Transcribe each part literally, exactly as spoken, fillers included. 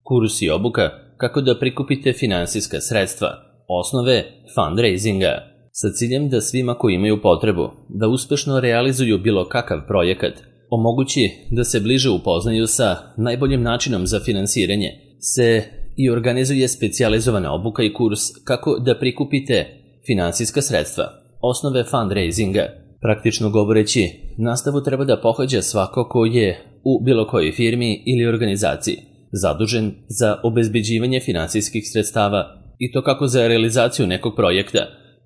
Kurs i obuka kako da prikupite finansijska sredstva, osnove fundraisinga, sa ciljem da svima koji imaju potrebu da uspešno realizuju bilo kakav projekat omogući da se bliže upoznaju sa najboljim načinom za finansiranje, se i organizuje specijalizovana obuka i kurs kako da prikupite finansijska sredstva, osnove fundraisinga. Praktično govoreći, nastavu treba da pohađa svako ko je u bilo kojoj firmi ili organizaciji zadužen za obezbeđivanje finansijskih sredstava i to kako za realizaciju nekog projekta,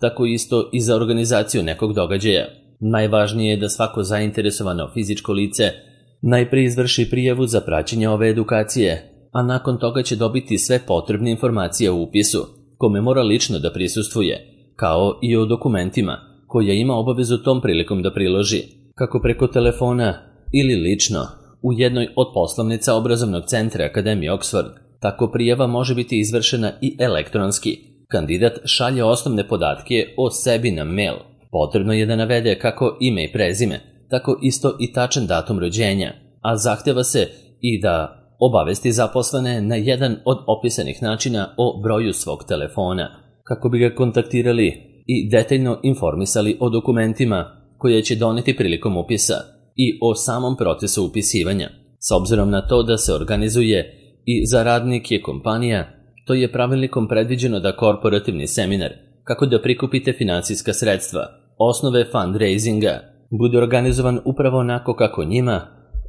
tako isto i za organizaciju nekog događaja. Najvažnije je da svako zainteresovano fizičko lice najpre izvrši prijavu za praćenje ove edukacije, a nakon toga će dobiti sve potrebne informacije o upisu, kome mora lično da prisustvuje, kao i o dokumentima koje ima obavezu tom prilikom da priloži, kako preko telefona ili lično u jednoj od poslovnica obrazovnog centra Akademije Oxford. Tako prijava može biti izvršena i elektronski. Kandidat šalje osnovne podatke o sebi na mail. Potrebno je da navede kako ime i prezime, tako isto i tačan datum rođenja, a zahteva se i da obavesti zaposlene na jedan od opisanih načina o broju svog telefona, kako bi ga kontaktirali i detaljno informisali o dokumentima koje će doneti prilikom upisa i o samom procesu upisivanja. S obzirom na to da se organizuje i za radnike kompanija, to je pravilnikom predviđeno da korporativni seminar, kako da prikupite finansijska sredstva, osnove fundraisinga, bude organizovan upravo onako kako njima,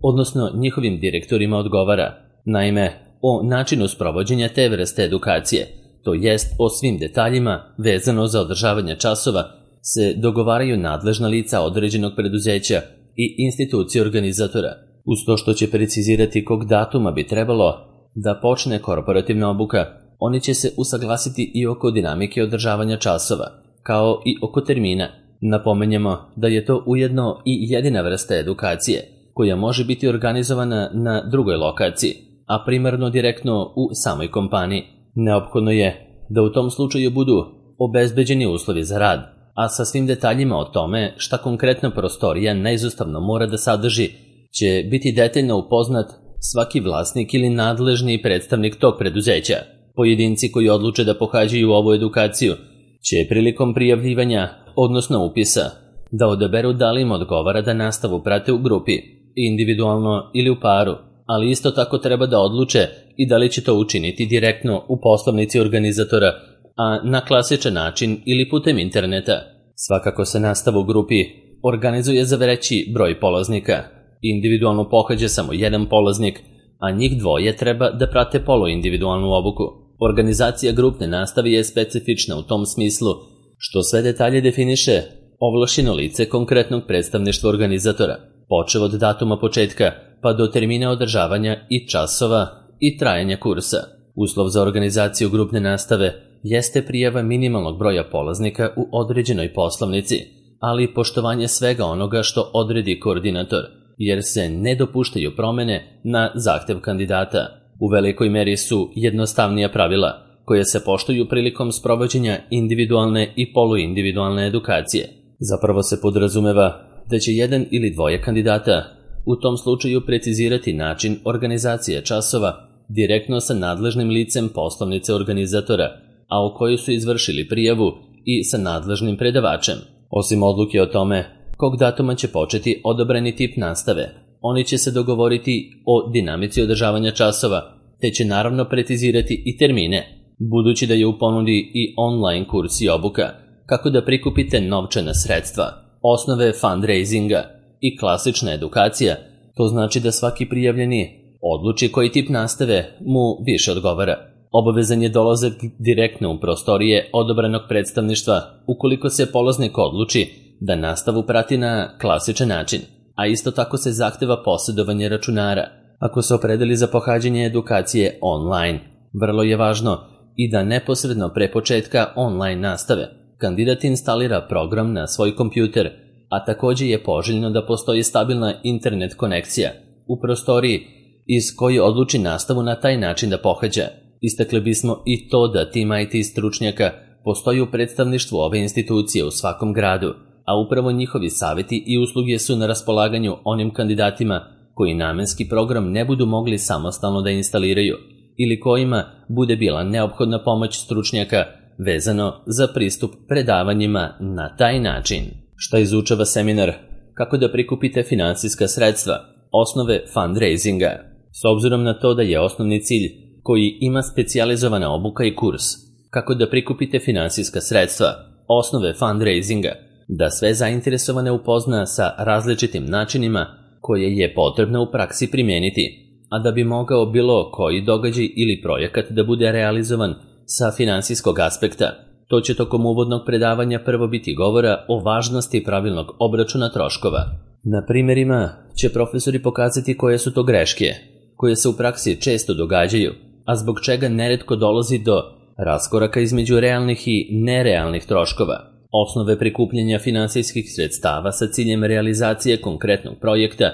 odnosno njihovim direktorima odgovara. Naime, o načinu sprovođenja te vrste edukacije, to jest o svim detaljima vezano za održavanje časova, se dogovaraju nadležna lica određenog preduzeća i institucije organizatora, uz to što će precizirati kog datuma bi trebalo da počne korporativna obuka. Oni će se usaglasiti i oko dinamike održavanja časova, kao i oko termina. Napomenjemo da je to ujedno i jedina vrsta edukacije koja može biti organizovana na drugoj lokaciji, a primarno direktno u samoj kompaniji. Neophodno je da u tom slučaju budu obezbeđeni uslovi za rad, a sa svim detaljima o tome šta konkretna prostorija neizostavno mora da sadrži će biti detaljno upoznat svaki vlasnik ili nadležni predstavnik tog preduzeća. Pojedinci koji odluče da pohađaju ovu edukaciju će prilikom prijavljivanja, odnosno upisa, da odaberu da li im odgovara da nastavu prate u grupi, individualno ili u paru, ali isto tako treba da odluče i da li će to učiniti direktno u poslovnici organizatora, a na klasičan način ili putem interneta. Svakako se nastava u grupi organizuje za veći broj polaznika. Individualno pohađa samo jedan polaznik, a njih dvoje treba da prate poluindividualnu obuku. Organizacija grupne nastave je specifična u tom smislu što sve detalje definiše ovlašćeno lice konkretnog predstavništva organizatora, počev od datuma početka pa do termina održavanja i časova i trajanja kursa. Uslov za organizaciju grupne nastave jeste prijava minimalnog broja polaznika u određenoj poslovnici, ali i poštovanje svega onoga što odredi koordinator, jer se ne dopuštaju promene na zahtev kandidata. U velikoj meri su jednostavnija pravila koje se poštuju prilikom sprovođenja individualne i poluindividualne edukacije. Zapravo se podrazumeva da će jedan ili dvoje kandidata u tom slučaju precizirati način organizacije časova direktno sa nadležnim licem poslovnice organizatora, a u kojoj su izvršili prijavu i sa nadležnim predavačem. Osim odluke o tome kog datuma će početi odabrani tip nastave, oni će se dogovoriti o dinamici održavanja časova, te će naravno precizirati i termine, budući da je u ponudi i online kurs i obuka, kako da prikupite novčana sredstva, osnove fundraisinga i klasična edukacija. To znači da svaki prijavljeni odluči koji tip nastave mu više odgovara. Obavezan je dolazak direktno u prostorije odabranog predstavništva ukoliko se polaznik odluči da nastavu prati na klasičan način, a isto tako se zahteva posjedovanje računara ako se opredeli za pohađanje edukacije online. Vrlo je važno i da neposredno pre početka online nastave kandidat instalira program na svoj kompjuter, a također je poželjno da postoji stabilna internet konekcija u prostoriji iz koje odluči nastavu na taj način da pohađa. Istakli bismo i to da tim I T stručnjaka postoji u predstavništvu ove institucije u svakom gradu, a upravo njihovi savjeti i usluge su na raspolaganju onim kandidatima koji namenski program ne budu mogli samostalno da instaliraju. ili kojima bude bila neophodna pomoć stručnjaka vezano za pristup predavanjima na taj način. Šta izučava seminar? Kako da prikupite finansijska sredstva, osnove fundraisinga. S obzirom na to da je osnovni cilj koji ima specijalizovana obuka i kurs, kako da prikupite finansijska sredstva, osnove fundraisinga, da sve zainteresovane upozna sa različitim načinima koje je potrebno u praksi primijeniti, a da bi mogao bilo koji događaj ili projekat da bude realizovan sa finansijskog aspekta. To će tokom uvodnog predavanja prvo biti govora o važnosti pravilnog obračuna troškova. Na primjerima će profesori pokazati koje su to greške, koje se u praksi često događaju, a zbog čega neretko dolazi do raskoraka između realnih i nerealnih troškova, osnove prikupljanja finansijskih sredstava sa ciljem realizacije konkretnog projekta,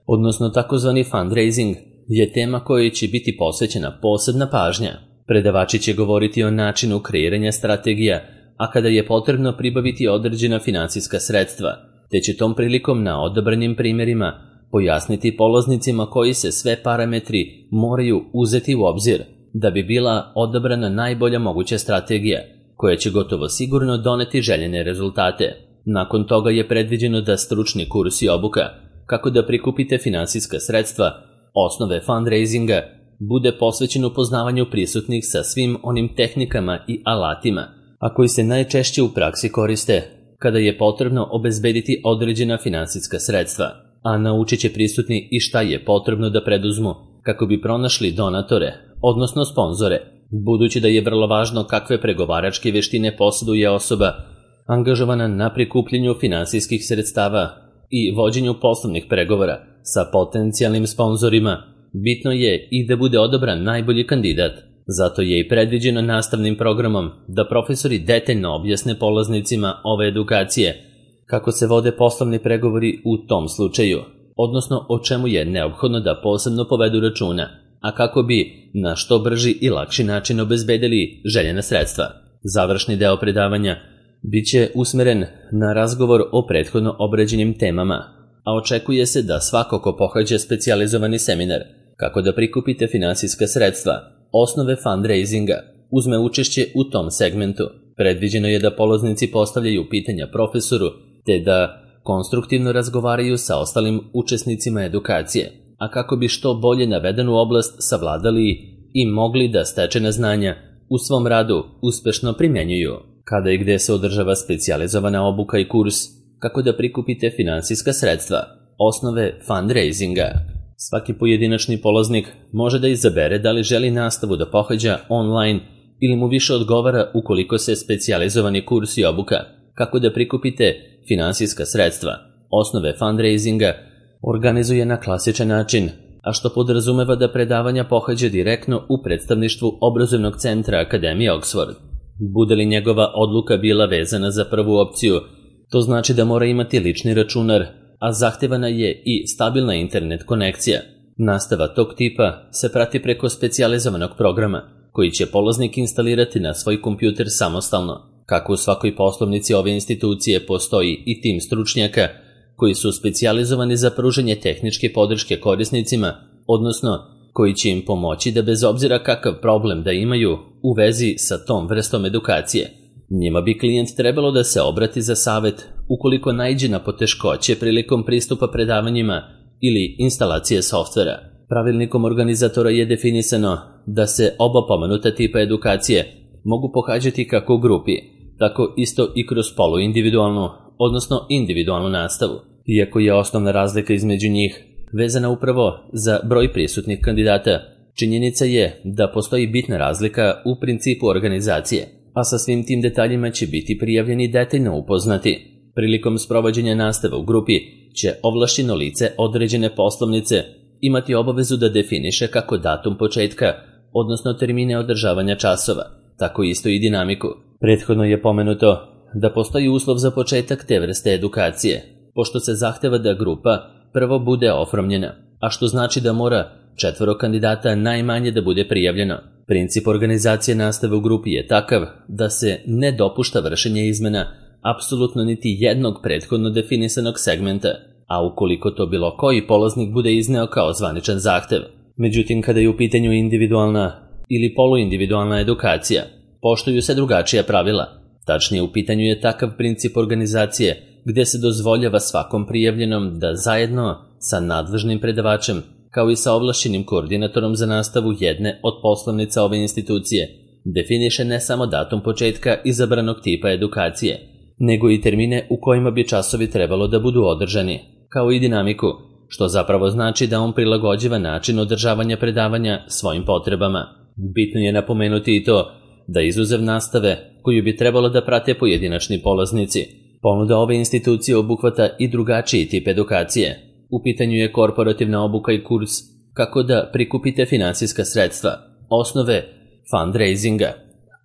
odnosno takozvani fundraising, je tema kojoj će biti posvećena posebna pažnja. Predavači će govoriti o načinu kreiranja strategija, a kada je potrebno pribaviti određena finansijska sredstva, te će tom prilikom na odabranim primjerima pojasniti polaznicima koji se sve parametri moraju uzeti u obzir da bi bila odabrana najbolja moguća strategija, koja će gotovo sigurno doneti željene rezultate. Nakon toga je predviđeno da stručni kurs i obuka, kako da prikupite finansijska sredstva, osnove fundraisinga, bude posvećen upoznavanju prisutnih sa svim onim tehnikama i alatima, a koji se najčešće u praksi koriste kada je potrebno obezbediti određena finansijska sredstva, a naučit će prisutni i šta je potrebno da preduzmu kako bi pronašli donatore, odnosno sponzore, budući da je vrlo važno kakve pregovaračke veštine posjeduje osoba angažovana na prikupljenju finansijskih sredstava i vođenju poslovnih pregovora sa potencijalnim sponzorima. Bitno je i da bude odabran najbolji kandidat. Zato je i predviđeno nastavnim programom da profesori detaljno objasne polaznicima ove edukacije kako se vode poslovni pregovori u tom slučaju, odnosno o čemu je neophodno da posebno povedu računa, a kako bi na što brži i lakši način obezbedili željena sredstva. Završni deo predavanja biće usmeren na razgovor o prethodno obrađenim temama, a očekuje se da svako ko pohađa specijalizovani seminar kako da prikupite finansijska sredstva, osnove fundraisinga, uzme učešće u tom segmentu. Predviđeno je da polaznici postavljaju pitanja profesoru, te da konstruktivno razgovaraju sa ostalim učesnicima edukacije, a kako bi što bolje navedenu oblast savladali i mogli da stečena znanja u svom radu uspešno primjenjuju. Kada i gde se održava specijalizovana obuka i kurs, kako da prikupite finansijska sredstva, osnove fundraisinga. Svaki pojedinačni polaznik može da izabere da li želi nastavu da pohađa online ili mu više odgovara ukoliko se specijalizovani kurs i obuka, kako da prikupite finansijska sredstva, osnove fundraisinga, organizuje na klasičan način, a što podrazumeva da predavanja pohađa direktno u predstavništvu obrazovnog centra Akademije Oxford. Bude li njegova odluka bila vezana za prvu opciju, to znači da mora imati lični računar, a zahtevana je i stabilna internet konekcija. Nastava tog tipa se prati preko specijalizovanog programa, koji će polaznik instalirati na svoj kompjuter samostalno. Kako u svakoj poslovnici ove institucije postoji i tim stručnjaka koji su specijalizovani za pružanje tehničke podrške korisnicima, odnosno koji će im pomoći da bez obzira kakav problem da imaju u vezi sa tom vrstom edukacije, njima bi klijent trebalo da se obrati za savet ukoliko naiđe na poteškoće prilikom pristupa predavanjima ili instalacije softvera. Pravilnikom organizatora je definisano da se oba pomenuta tipa edukacije mogu pohađati kako u grupi, tako isto i kroz poluindividualnu, odnosno individualnu nastavu. Iako je osnovna razlika između njih vezana upravo za broj prisutnih kandidata, činjenica je da postoji bitna razlika u principu organizacije, a sa svim tim detaljima će biti prijavljeni detaljno upoznati. Prilikom sprovođenja nastave u grupi će ovlašćeno lice određene poslovnice imati obavezu da definiše kako datum početka, odnosno termine održavanja časova, tako isto i dinamiku. Prethodno je pomenuto da postoji uslov za početak te vrste edukacije, pošto se zahteva da grupa prvo bude oformljena, a što znači da mora četvoro kandidata najmanje da bude prijavljeno. Princip organizacije nastave u grupi je takav da se ne dopušta vršenje izmena apsolutno niti jednog prethodno definisanog segmenta, a ukoliko to bilo koji polaznik bude izneo kao zvaničan zahtev. Međutim, kada je u pitanju individualna ili poluindividualna edukacija, poštuju se drugačija pravila. Tačnije, u pitanju je takav princip organizacije gde se dozvoljava svakom prijavljenom da zajedno sa nadležnim predavačem, kao i sa ovlašćenim koordinatorom za nastavu jedne od poslovnica ove institucije, definiše ne samo datum početka izabranog tipa edukacije, nego i termine u kojima bi časovi trebalo da budu održani, kao i dinamiku, što zapravo znači da on prilagođava način održavanja predavanja svojim potrebama. Bitno je napomenuti i to da izuzev nastave, koju bi trebalo da prate pojedinačni polaznici, ponuda ove institucije obuhvata i drugačiji tip edukacije. U pitanju je korporativna obuka i kurs kako da prikupite finansijska sredstva, osnove fundraisinga,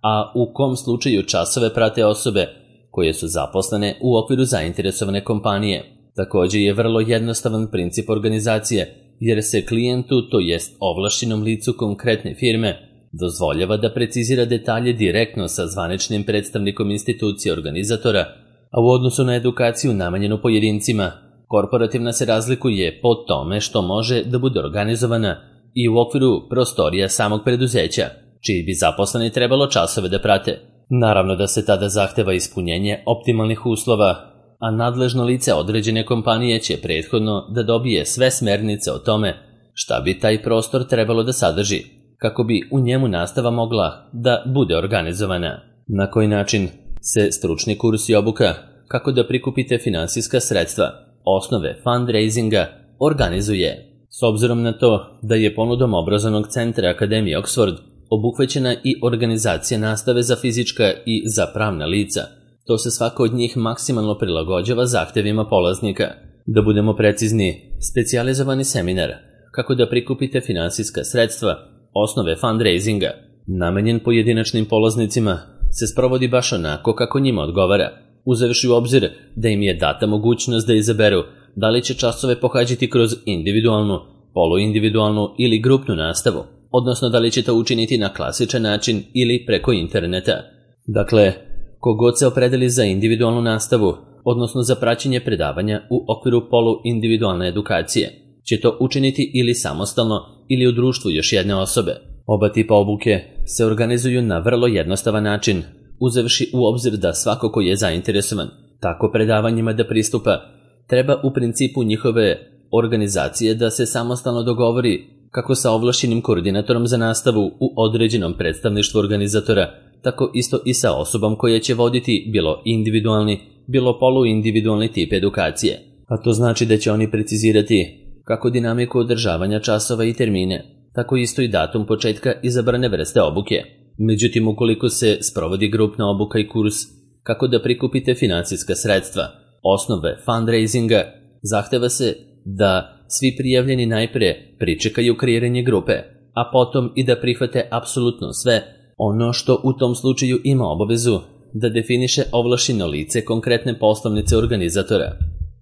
a u kom slučaju časove prate osobe koje su zaposlene u okviru zainteresovane kompanije. Također je vrlo jednostavan princip organizacije, jer se klijentu, to jest ovlašćenom licu konkretne firme, dozvoljava da precizira detalje direktno sa zvaničnim predstavnikom institucije organizatora, a u odnosu na edukaciju namenjenu pojedincima, korporativna se razlikuje po tome što može da bude organizovana i u okviru prostorija samog preduzeća, čiji bi zaposleni trebalo časove da prate. Naravno da se tada zahteva ispunjenje optimalnih uslova, a nadležno lice određene kompanije će prethodno da dobije sve smernice o tome šta bi taj prostor trebalo da sadrži, kako bi u njemu nastava mogla da bude organizovana. Na koji način se stručni kurs i obuka kako da prikupite finansijska sredstva, osnove fundraisinga, organizuje. S obzirom na to da je ponudom obrazovnog centra Akademije Oxford obuhvaćena i organizacija nastave za fizička i za pravna lica, to se svako od njih maksimalno prilagođava zahtevima polaznika. Da budemo precizni, specijalizovani seminar kako da prikupite finansijska sredstva, osnove fundraisinga, namenjen pojedinačnim polaznicima, se sprovodi baš onako kako njima odgovara, uzevši u obzir da im je data mogućnost da izaberu da li će časove pohađati kroz individualnu, poluindividualnu ili grupnu nastavu, odnosno da li će to učiniti na klasičan način ili preko interneta. Dakle, kogod se opredeli za individualnu nastavu, odnosno za praćenje predavanja u okviru poluindividualne edukacije, će to učiniti ili samostalno ili u društvu još jedne osobe. Oba tipa obuke se organizuju na vrlo jednostavan način, uzevši u obzir da svako ko je zainteresovan tako predavanjima da pristupa, treba u principu njihove organizacije da se samostalno dogovori kako sa ovlašćenim koordinatorom za nastavu u određenom predstavništvu organizatora, tako isto i sa osobom koja će voditi bilo individualni, bilo poluindividualni tip edukacije. A to znači da će oni precizirati kako dinamiku održavanja časova i termine, tako isto i datum početka izabrane vrste obuke. Međutim, ukoliko se sprovodi grupna obuka i kurs kako da prikupite finansijska sredstva, osnove fundraisinga, zahteva se da svi prijavljeni najpre pričekaju kreiranje grupe, a potom i da prihvate apsolutno sve ono što u tom slučaju ima obavezu da definiše ovlašćeno lice konkretne poslovnice organizatora.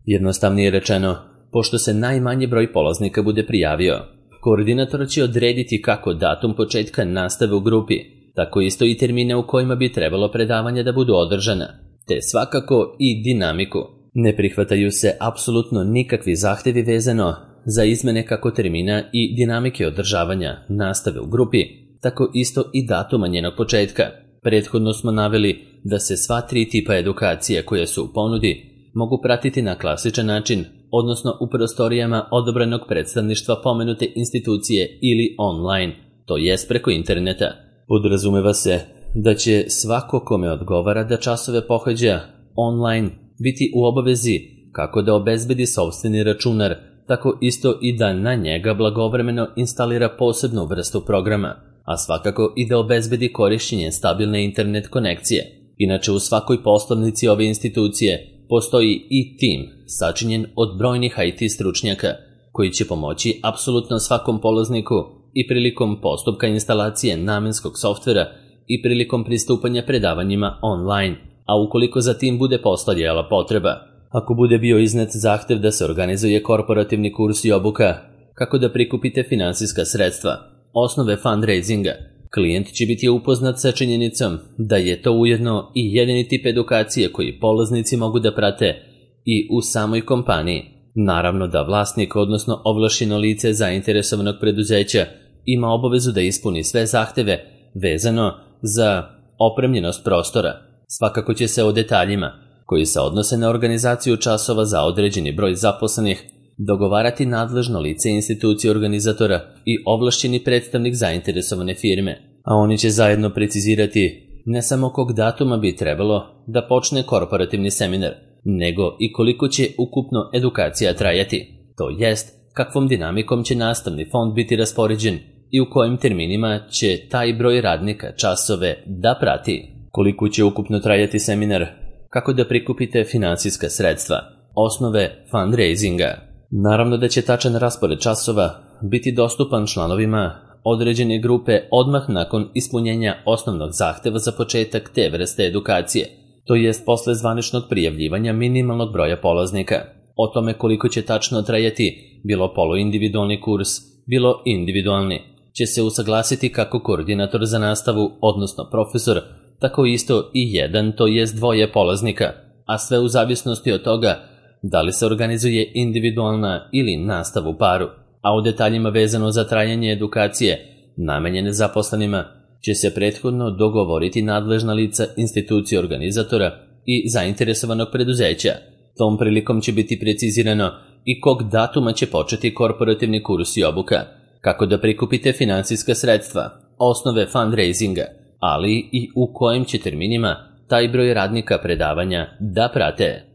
Jednostavnije rečeno, pošto se najmanji broj polaznika bude prijavio, koordinator će odrediti kako datum početka nastave u grupi, tako isto i termine u kojima bi trebalo predavanja da budu održana, te svakako i dinamiku. Ne prihvataju se apsolutno nikakvi zahtevi vezano za izmene kako termina i dinamike održavanja nastave u grupi, tako isto i datuma njenog početka. Prethodno smo naveli da se sva tri tipa edukacije koje su u ponudi mogu pratiti na klasičan način, odnosno u prostorijama odobrenog predstavništva pomenute institucije ili online, to jest preko interneta. Podrazumeva se da će svako kome odgovara da časove pohađa online biti u obavezi kako da obezbedi sopstveni računar, tako isto i da na njega blagovremeno instalira posebnu vrstu programa, a svakako i da obezbedi korišćenje stabilne internet konekcije. Inače, u svakoj poslovnici ove institucije postoji i tim sačinjen od brojnih I T stručnjaka koji će pomoći apsolutno svakom polazniku i prilikom postupka instalacije namenskog softvera i prilikom pristupanja predavanjima online, a ukoliko za tim bude postojala potreba. Ako bude bio iznet zahtev da se organizuje korporativni kurs i obuka kako da prikupite finansijska sredstva, osnove fundraisinga, klijent će biti upoznat sa činjenicom da je to ujedno i jedini tip edukacije koji polaznici mogu da prate i u samoj kompaniji. Naravno da vlasnik, odnosno ovlašćeno lice zainteresovanog preduzeća, ima obavezu da ispuni sve zahteve vezano za opremljenost prostora. Svakako će se o detaljima, koji se odnose na organizaciju časova za određeni broj zaposlenih, dogovarati nadležno lice institucije organizatora i ovlašćeni predstavnik zainteresovane firme, a oni će zajedno precizirati ne samo kog datuma bi trebalo da počne korporativni seminar, nego i koliko će ukupno edukacija trajati, to jest kakvom dinamikom će nastavni fond biti raspoređen i u kojim terminima će taj broj radnika časove da prati. Koliko će ukupno trajati seminar, kako da prikupite finansijska sredstva, osnove fundraisinga. Naravno da će tačan raspored časova biti dostupan članovima određene grupe odmah nakon ispunjenja osnovnog zahteva za početak te vrste edukacije, to jest posle zvaničnog prijavljivanja minimalnog broja polaznika. O tome koliko će tačno trajati bilo poluindividualni kurs, bilo individualni, će se usaglasiti kako koordinator za nastavu, odnosno profesor, tako isto i jedan, to jest dvoje polaznika, a sve u zavisnosti od toga da li se organizuje individualna ili nastava u paru, a o detaljima vezano za trajanje edukacije namenjene zaposlenima će se prethodno dogovoriti nadležna lica institucije organizatora i zainteresovanog preduzeća. Tom prilikom će biti precizirano i kog datuma će početi korporativni kurs i obuka, kako da prikupite finansijska sredstva, osnove fundraisinga, ali i u kojim će terminima taj broj radnika predavanja da prate.